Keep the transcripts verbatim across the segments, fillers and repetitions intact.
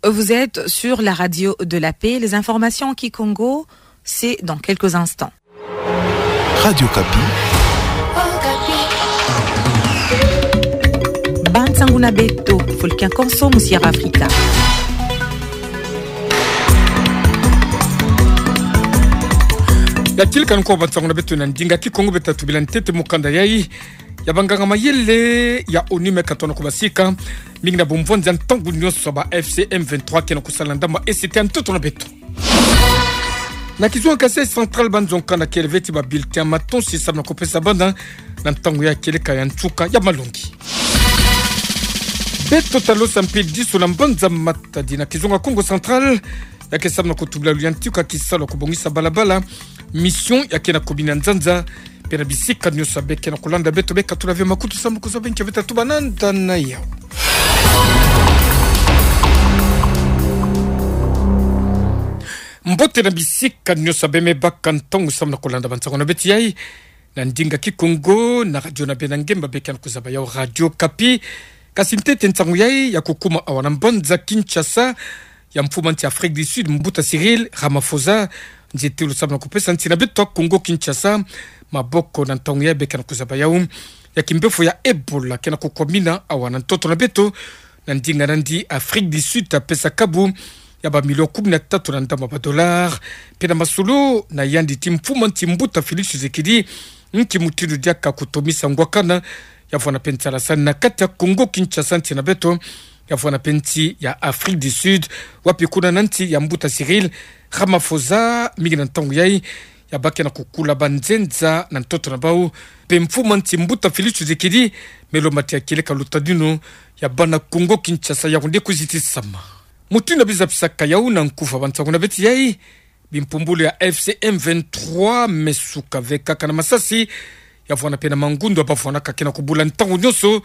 Vous êtes sur la radio de la paix. Les informations en kikongo, c'est dans quelques instants. Radio Okapi. Bansangu na beto, fulu kia konso musi ya Afrika. Ya tilika nko bansangu na beto na ndinga kikongo, beta tubila ntete mukanda yayi ya banganga mayele ya ONU me katona kubasika, mingi na bumvwanzi ya ntangu nyonso ba AFC M vingt-trois ke na kusala ndambu ese te ya ntoto na beto. Na kizunga Kasaï Central, banzonka na kele ve ti ba bulletin ya matonsi samu na kupesa bana na ntangu ya kieleka ya nsuka ya malongi. Beto talosa mpe diso na mbanza Matadi na kizunga Kongo Central, ya ke samu na kutubila luyantika kisalu ya kubongisa balabala, mission ya ke na kubina nzanza, mpe na bisika nyonso ya be ke na kulanda beto, be katula ve makutu samu kuzaba nki ya beta tuba na nda na yau. Mbote na bisika nyonso ya be me baka ntangu samu na kulanda bansangu na beto yayi na ndinga kikongo na radio na beno ya ngemba, be ke na kuzaba yau Radio Okapi. Kasi ntete nsangu yayi ya kukuma awa na mbanza Kinshasa, ya mfumu nsi Afrique du Sud, mbuta Cyril Ramaphosa, nzietelo samu na kupesa nsi na beto ya Kongo Kinshasa maboko na ntangu yayi be ke na kuzaba yau ya kimpefo ya Ebola ke na kukwamina awa na ntoto na beto. Na ndinga nandi, Afrique du Sud ta pesa kabu ya ba million kumi na tatu na ndambu ya ba dollars, mpe na masolo na yandi ti mfumu nsi mbuta Félix Tshisekedi, nki mutindu diaka kutomisa ngwakana ya vwanda mpe nsalasani na kati ya Kongo Kinshasa, nsi na beto, ya vwanda mpe nsi ya Afrique du Sud, wapi kuna na nsi ya mbuta Cyril Ramaphosa, mingi na ntangu yayi ya ba ke na kukula banzenza na ntoto na bau. Mpe mfumu nsi mbuta Félix Tshisekedi me lomba ti ya kieleka lutadinu ya bana Kongo Kinshasa, ya kunde kuzitisama. Mutindu ya bizapisaka yau na nkufa bansangu na beto yayi, bimpumbulu ya AFC M vingt-trois me suka ve kaka na masasi, ya vwanda mpe na mangundu ya ba vwandaka ke na kubula ntangu nyonso.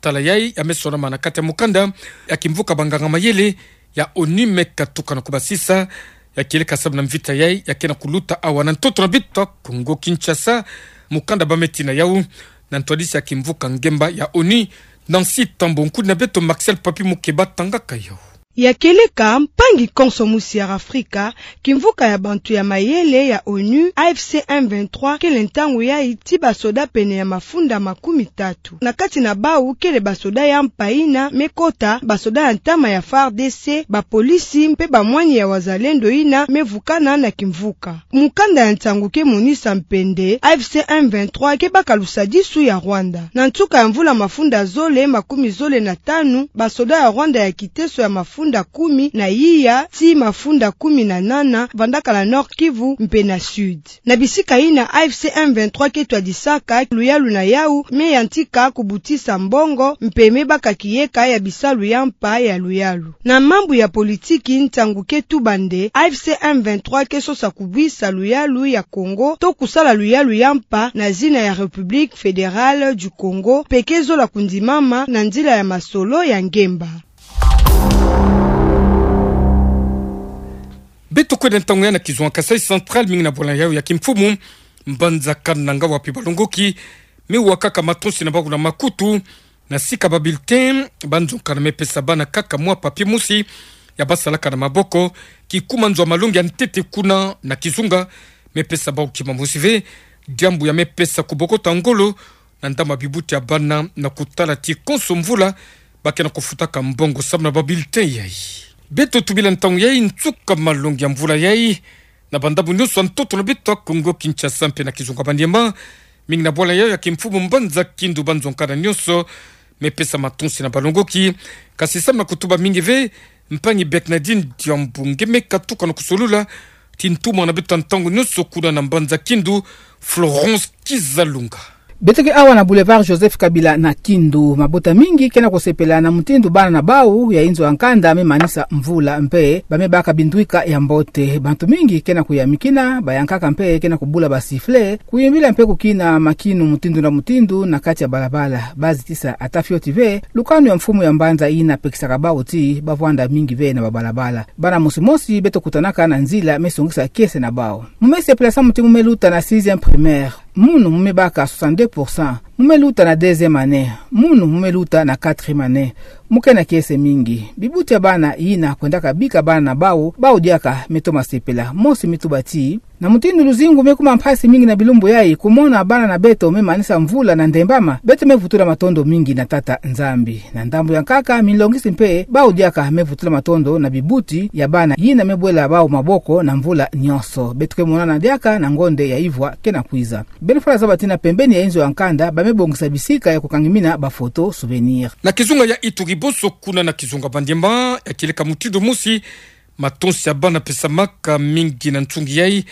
Tala yayi ya me sonama na kati ya mukanda ya kimvuka banganga mayele ya ONU me katuka na kubasisa, ya kieleka samu na mvita yayi ya ke na kuluta awa na ntoto na beto ya Kongo Kinshasa. Mukanda ba me tina yau na ntwadisi ya kimvuka ngemba ya ONU, Nancy Tambo. Nkudi na beto Marcel Papi Mukeba tangaka yau. Ya kieleka, mpangi konso musi ya Afrika, kimvuka ya bantu ya mayele ya ONU, AFC M vingt-trois, kele ntangu yayi ti basoda pene ya mafunda makumi tatu. Na kati na bau kele basoda ya mpa yina me kota, basoda ya ntama ya FARDC, bapolisi mpe bamwani ya wazalendo yina me vukana na kimvuka. Mukanda ya nsangu ke monisa mpe nde AFC M vingt-trois ke baka lusadisu ya Rwanda. Na nsuka ya mvula mafunda zole makumi zole na tanu, basoda ya Rwanda ya kiteso ya mafunda kumi na iya tii mafunda kumi na nana vandaka na Nord-Kivu mpe na Sud. Na bisika yina AFC M vingt-trois ke twadisaka luyalu na yau, me yantika kubutisa mbongo mpe me baka kiyeka ya bisalu ya mpa ya luyalu. Na mambu ya politiki, nsangu ke tuba nde AFC M vingt-trois ke sosa kubwisa luyalu ya Congo to kusala luyalu ya mpa na zina ya République Fédérale du Congo, mpe ke zola kundimama na nzila ya masolo ya ngemba. Beto kwenda ntangu yayi na kizunga Kasaï Central, mingi na bwala yau ya kimfumu, mbanza Kananga, wapi balongoki me wakaka matonsi na bau na makutu, na sika ba bulletin, banzonka na me pesa bana kaka mwa papier mosi ya basalaka na maboko, kikuma nzo ya malongi ya ntete kuna na kizunga, me pesa bau kima mosi ve, diambu ya me pesa kubokota ngolo na ndambu ya bibuti ya bana na kutala ti konso mvula ba ke na kufutaka mbongo samu na ba bulletin yayi. Beto tubila ntangu yayi nsuka malongi ya mvula yayi na bandambu nyonso ya ntoto na beto ya Congo Kinshasa mpe na kizunga Maniema, mingi na bwala yau ya kimfumu, mbanza Kindu, banzonka na nyonso me pesa matonsi na balongoki. Kasi samu na kutuba mingi ve, mpangi Bernardine Diambu nge me katuka na kusolula ti ntumwa na beto ya ntangu nyonso kuna na mbanza Kindu, Florence Kizalunga. Beto ke awa na Boulevard Joseph Kabila na Kindu. Mabota mingi ke na kusepela na mutindu bana na bau ya inzo ya nkanda me manisa mvula mpe ba me baka bindwika ya mbote. Bantu mingi ke na kuyamikina, bayankaka mpe ke na kubula ba sifflet, kuyimbila mpe kukina makinu mutindu na mutindu na kati ya balabala. Ba zitisa ata fioti ve lukanu ya mfumu ya mbanza yina pekisaka bau ti ba vwanda mingi ve na ba balabala. Bana mosi mosi beto kutanaka na nzila me songisa kiese na bau. Mu me sepela samu ti mu me luta na sixième primaire. Munu mu mebaka soixante-deux pour cent, mu meluta na deuxième année, munu mu meluta na quatrième année. Mu ke na kiese mingi. Bibuti ya bana yina kwendaka bika bana na bau, bau diaka me toma sepela. Mosi me tuba ti, na mutindu luzingu me kuma mpasi mingi na bilumbu yayi, kumona bana na beto me manisa mvula na ndembama, beto me vutula matondo mingi na Tata Nzambi. Na ndambu ya nkaka, minlongisi mpe, bau diaka me vutula matondo na bibuti ya bana yina me bwela bau maboko na mvula nyonso. Beto ke monana diaka na ngonde ya ivwa ke na kwiza. Beno fwana zaba ti na pembeni ya inzo ya nkanda, ba me bongisa bisika ya kukangimina ba photo souvenir. Na kizunga ya Ituri bonso kuna na kizunga Maniema, ya kieleka mutindu mosi, matonsi ya bana pesamaka mingi na nsungi yayi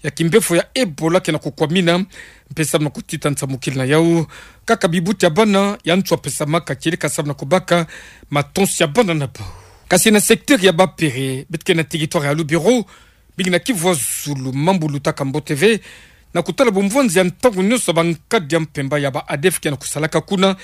ya kimbefo ya Ebola ke na kukwamina, mpe samu na kutita nsamukila na yau. Kaka bibuti ya bana ya nswa pesamaka kieleka samu na kubaka matonsi ya bana na bau. Kasi na secteur ya Bapere, beto ke na territoire ya Lubero, mingi na Kivu ya Zulu, mambu lutaka mbote ve, na kutala bumvwanzi ya ntangu nyonso ba nkadi ya mpemba ya ba ADF ke na kusalaka kuna,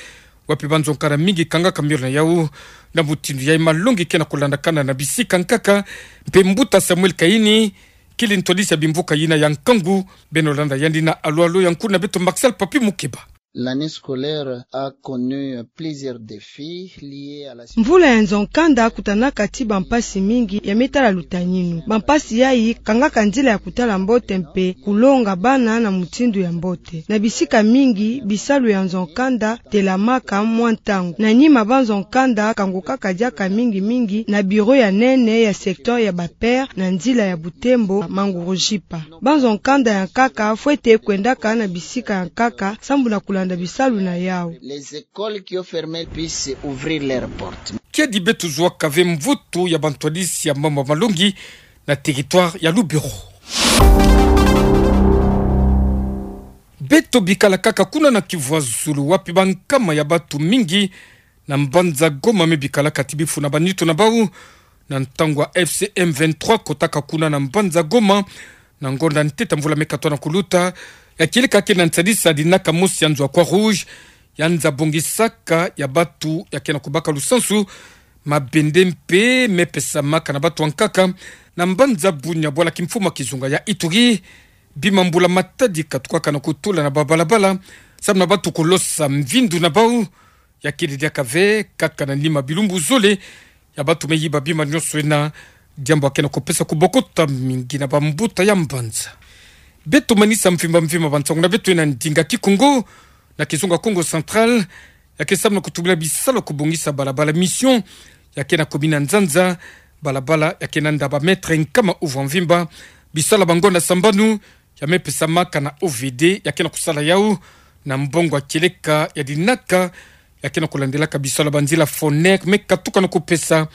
wapi banzo nkanda mingi kangaka miole na yau. Na mutindu yayi malongi ke na kulandakana na bisika nkaka, mpe mbuta Samuel Kayini kili ntwadisi ya bimvuka yina ya nkangu. Beno landa yandi na alu alu ya nkulu na beto Marcel Papi Mukeba. L'année scolaire a connu plusieurs défis liés à la... Mvula ya nzo nkanda kutanaka ti bampasi mingi ya me tala lutaninu. Bampasi yayi kangaka nzila ya kutala mbote mpe kulonga bana na mutindu ya mbote. Na bisika mingi, bisalu ya nzo nkanda telamaka mwa ntangu. Na nima banzo nkanda kangukaka diaka mingi mingi na bureau ya nene ya secteur ya Bapere na nzila ya Butembo Mangurujipa. Banzo nkanda ya nkaka fwete kwendaka na bisika ya nkaka sambu na kulanda bisalu na yau. Les écoles qui ont fermé puissent ouvrir leurs portes. Kiadi beto zwaka ve mvutu ya bantwadisi ya mambu malongi na territoire ya Lubero. Beto bikala kaka kuna na Kivu ya Zulu, wapi bankama ya bantu mingi na mbanza Goma me bikala kati bifuna banitu na bau, na ntangu ya F C M vingt-trois kotaka kuna na mbanza Goma, na ngonda ntete mvula me katoa na kuluta, ya kieleka ke na nsadisa dinaka mosi ya nzo ya Croix-Rouge, ya nza bongisaka ya bantu ya ke na kubaka lusansu, mabende mpe me pesamaka na bantu ya nkaka, na mbanza Bunia, bwala kimfumu ya kizunga ya Ituri. Bima mbula-matadi katukaka na kutula na babalabala, samu na bantu kulosa mvindu na bau, ya kele diaka ve, kaka na nima bilumbu zole, ya bantu me yiba bima nyonso ena, diambu ya ke na kupesa kubokota mingi na bambuta ya mbanza. Beto manisa mvimba mvimba bansangu na beto ena ndinga Kikongo, na kizunga Kongo Central, ya ke samu na kutubila bisalu ya kubongisa balabala mission, ya ke na commune ya Nzanza, balabala ya ke na nda ba mètre nkama uvwa mvimba, bisalu ya bangonda sambanu, ya me pesamaka na O V D, ya ke na kusala yau, na mbongo ya kieleka ya dinaka, ya ke na kulandelaka bisalu ya banzila Foner, me katuka na kupesa,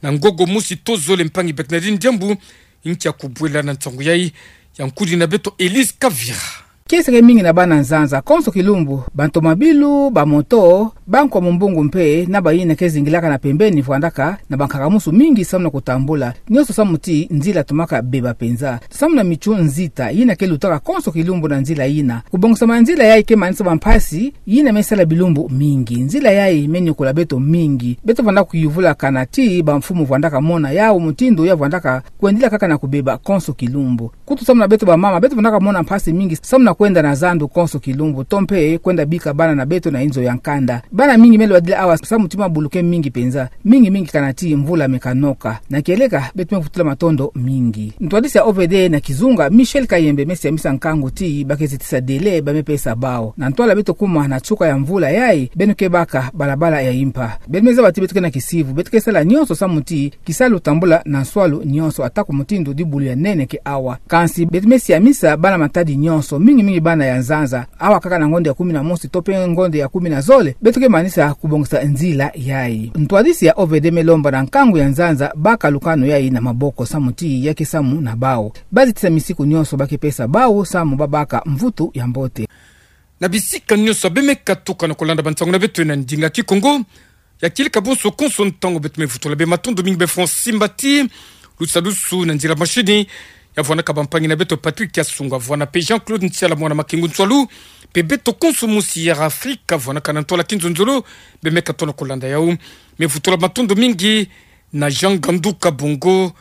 na ngogo mosi to zole mpangi Bernardine Diambu, nkia kubwela na nsangu yayi, ya nkudi na beto Elise Kavira. Kiese ke mingi na bana Nzanza, konso kilumbu, bantomabilu, bamoto, bankwa mumbungu mpe, na bayina ke zingilaka na pembeni vwandaka na bankaka-musu mingi samu na kutambula, nyonso samu ti nzila tomaka beba penza. Samu na mitshu nzita, yina ke lutaka konso kilumbu na nzila yina. Kubongisama ya nzila yayi ke manisa bampasi, yina me sala bilumbu mingi. Nzila yayi me niokola beto mingi. Beto vwandaka kuyuvula kana ti bamfumu vwandaka mona yau mutindu ya vwandaka kwendila kaka na kubeba konso kilumbu. Kutu samu na beto bamama, beto vwandaka mona mpasi mingi samu na kwenda na zandu konso kilumbu, to mpe kwenda bika bana na beto na inzo ya nkanda. Bana mingi me lwadila awa samu ti mabulu ke mingi penza, mingi mingi kana ti mvula me kanoka. Na kieleka, beto me vutula matondo mingi. Ntwadisi ya O V D na kizunga, Michel Kayembe, me siamisa nkangu ti ba ke zitisa délai ba me pesa bau. Na ntwala beto kuma na nsuka ya mvula yayi, beno ke baka balabala ya impa. Beno me zaba ti beto ke na kisivu, beto ke sala nyonso samu ti kisalu tambula na nswalu nyonso, ata ku mutindu dibulu ya nene ke awa. Kansi beto me siamisa bana-matadi nyonso, mingi mingi bana ya Nzanza, awa kaka na ngonda ya kumi na mosi to mpe ngonda ya kumi na zole, beto ke manisa kubongisa nzila yayi. Ntwadisi ya O V D me lomba na nkangu ya Nzanza baka lukanu yayi na maboko samu ti ya ke samu na bau. Ba zitisa misiku nyonso ba ke pesa bau samu ba baka mvutu ya mbote. Na bisika nyonso be me katuka na kulanda bansangu na beto ena ndinga Kikongo, ya kieleka bonso konso ntangu beto me vutula beno matondo mingi, beno fweti simbati, lusalusu na nzila mashini, ya vwanaka bampangi na beto Patrick Kiasunga, vwana mpe Jean-Claude Ntiala mwana Makengu Nswalu, mpe beto konso musi ya Afrika, vwanaka na ntwala kinzonzolo, be me katono kulanda yau. Me vutula matondo mingi na Jean Gandu Kabongo,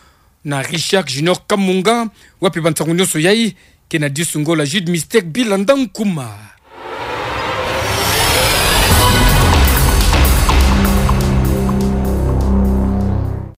na Richard Junior Kamunga, wapi bansangu nyonso yayi, Kena disu nggola Jude Mistake Bill Andang Kuma.